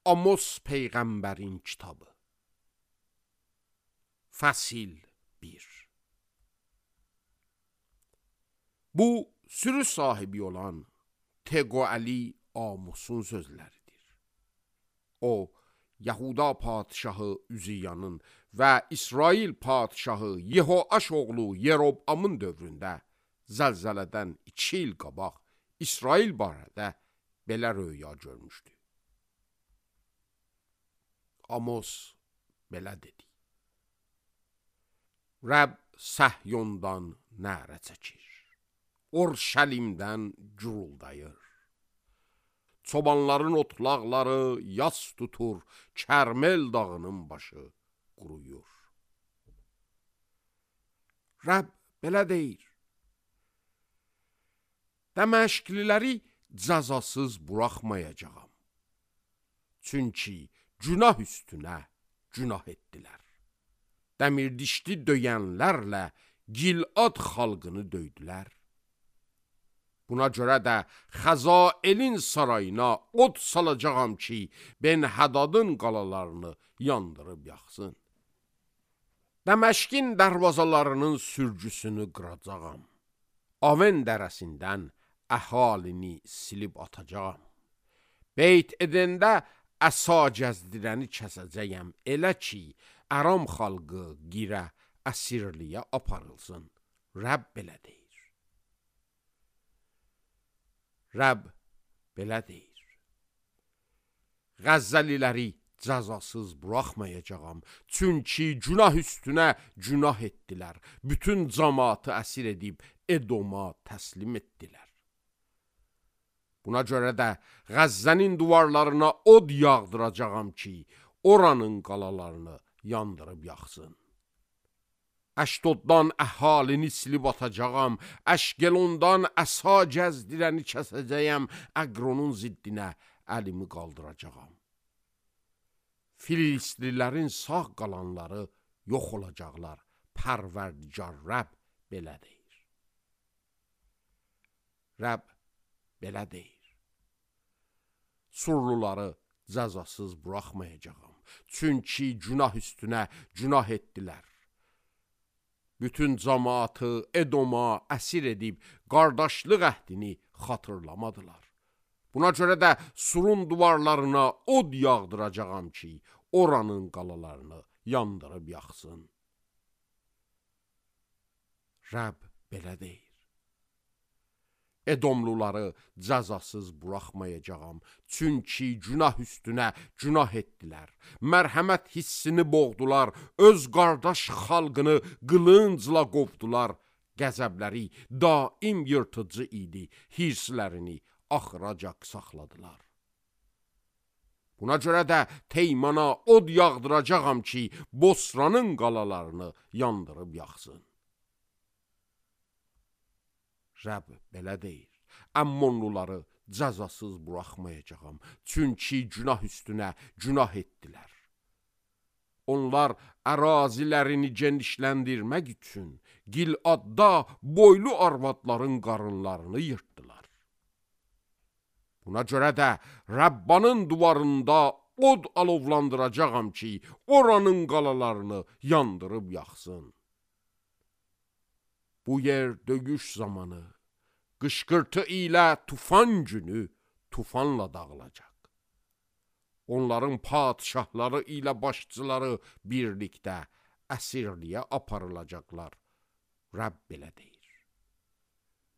Amos Peyğəmbərin kitabı. Fəsil 1. Bu, sürü sahibi olan Teqoəli Amosun sözləridir. O, Yahuda padişahı Üziyanın və İsrail padişahı Yehoaş oğlu Yerobamın dövründə zəlzələdən 2 il qabaq İsrail barədə belə röya görmüşdü. Amos belə dedi. Rəbb Səhyondan nərə çəkir, Orşəlimdən guruldayır. Çobanların otlaqları yas tutur, Kərmel dağının başı quruyur. Rəbb belə deyir. Dəməşqliləri cəzasız buraxmayacağam. Çünki günah üstünə günah etdilər. Dəmirdişli döyənlərlə Gilad xalqını döydülər. Buna görə də Xəzaelin sarayına od salacağam ki, Ben-Hədadın qalalarını yandırıb yaxsın. Dəməşqin dərvazalarının sürgüsünü qıracağam. Aven dərəsindən əhalini silib atacağam. Beyt edəndə əsa gəzdirəni kəsəcəyəm, elə ki, Əram xalqı girə əsirliyə aparılsın. Rəbb belə deyir. Rəbb belə deyir. Qəzzəliləri cəzasız buraxmayacağam, çünki günah üstünə günah etdilər. Bütün cəmaatı əsir edib Edoma təslim etdilər. Buna görə də Qəzzənin divarlarına od yağdıracağam ki, oranın qalalarını yandırıb yaxsın. Əşdoddan əhalini silib atacağam, Əşqelondan əsa gəzdirəni kəsəcəyəm, Əqronun ziddinə əlimi qaldıracağam. Filistlilərin sağ qalanları yox olacaqlar, Pərverdigar Rəbb belə deyir. Rəbb belə deyir. Surluları cəzasız buraxmayacağam, çünki günah üstünə günah etdilər. Bütün cəmaatı Edoma əsir edib qardaşlıq əhdini xatırlamadılar. Buna görə də surun divarlarına od yağdıracağam ki, oranın qalalarını yandırıb yaxsın. Rəbb belə deyir. Edomluları cəzasız buraxmayacağam, çünki günah üstünə günah etdilər. Mərhəmət hissini boğdular, öz qardaş xalqını qılıncla qovdular. Qəzəbləri daim yırtıcı idi, hirslərini axıracaq saxladılar. Buna görə də Teymana od yağdıracağam ki, Bosranın qalalarını yandırıb yaxsın. Rəbb belə deyir. Əmmonluları cəzasız buraxmayacağam, çünki günah üstünə günah etdilər. Onlar ərazilərini genişləndirmək üçün Giladda boylu arvadların qarınlarını yırtdılar. Buna görə də Rəbbanın divarında od alovlandıracağam ki, oranın qalalarını yandırıb yaxsın. Bu yer döyüş zamanı, qışqırtı ilə tufan günü tufanla dağılacaq. Onların padişahları ilə başçıları birlikdə əsirliyə aparılacaqlar. Rəbb belə deyir.